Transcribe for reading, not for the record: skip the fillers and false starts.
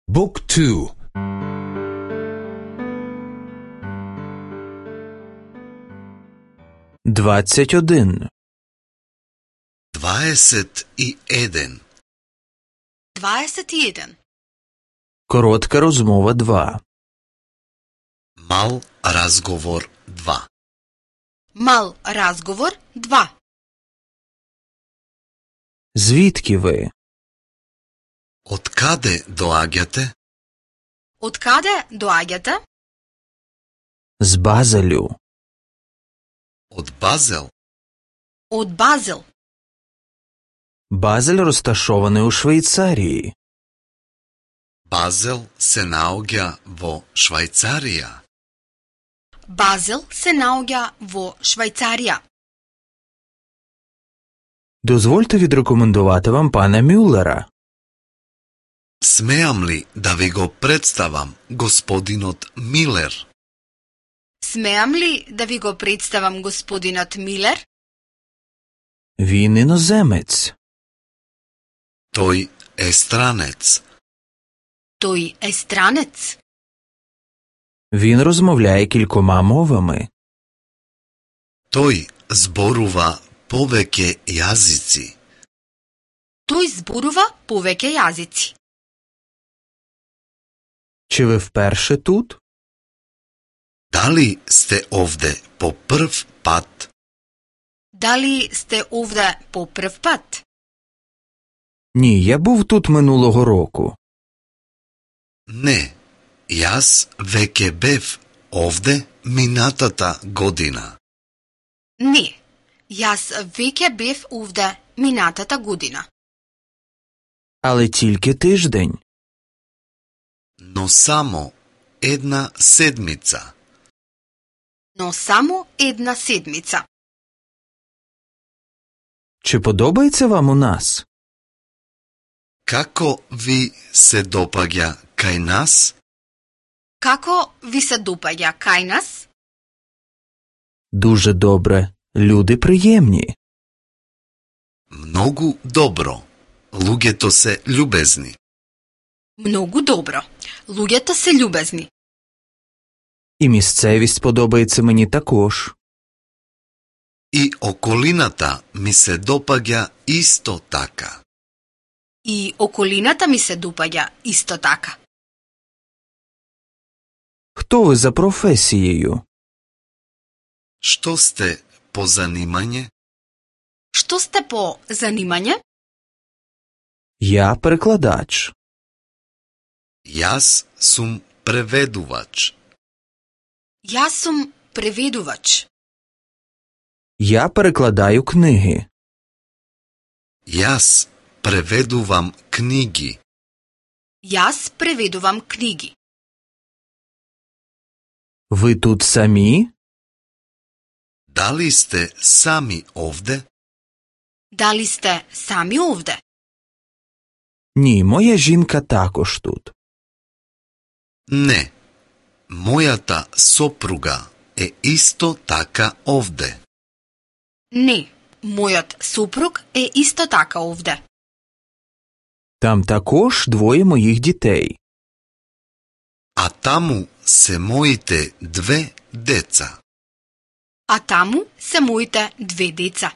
Book 2. 21. 21. 21. Коротка розмова 2. Мал разговор 2. Мал разговор 2. Звідки ви? Од каде доаѓате? Од каде доаѓате? З Базелю. Од Базел. Од Базел. Базель розташований у Швейцарії. Базел се наоѓа во Швајцарија. Базел се наоѓа во Швајцарија. Дозвольте відрекомендувати вам пана Мюллера. Смеам ли да ви го представам господинот Милер? Смеам ли да ви го представам господинот Милер? Він іноземець. Тој е странец. Тој е странец. Він розмовляє кількома мовами. Тој зборува повеќе јазици. Тој зборува повеќе јазици. Чи ви вперше тут? Дали сте овде по прв пат? Дали сте овде по прв пат? Ні, я був тут минулого року. Не, јас веќе бев овде минатата година. Не, јас веќе бев овде минатата година. Але тільки тиждень. Но само една седмица. Но само една седмица. Чи подобається вам у нас? Како ви се допаѓа кај нас? Како ви се допаѓа кај нас? Дуже добре. Люди приємні. Многу добро. Луѓето се љубезни. Многу добро. Луѓето се љубезни. І місцевість подобається мені також. И околината ми се допаѓа исто така. И околината ми се допаѓа исто така. Хто ви за професією? Што сте по занимање? Што сте по занимање? Я перекладач. Јас сум преведувач. Јас сум преведувач. Я перекладаю книги. Јас преведувам книги. Јас преведувам книги. Ви тут самі? Дали сте сами овде? Дали сте сами овде? Ні, моя жінка також тут. Не. Мојата сопруга е исто така овде. Не, мојот супруг е исто така овде. Там також двоє моїх дітей. А таму се моите две деца. А таму се моите две деца.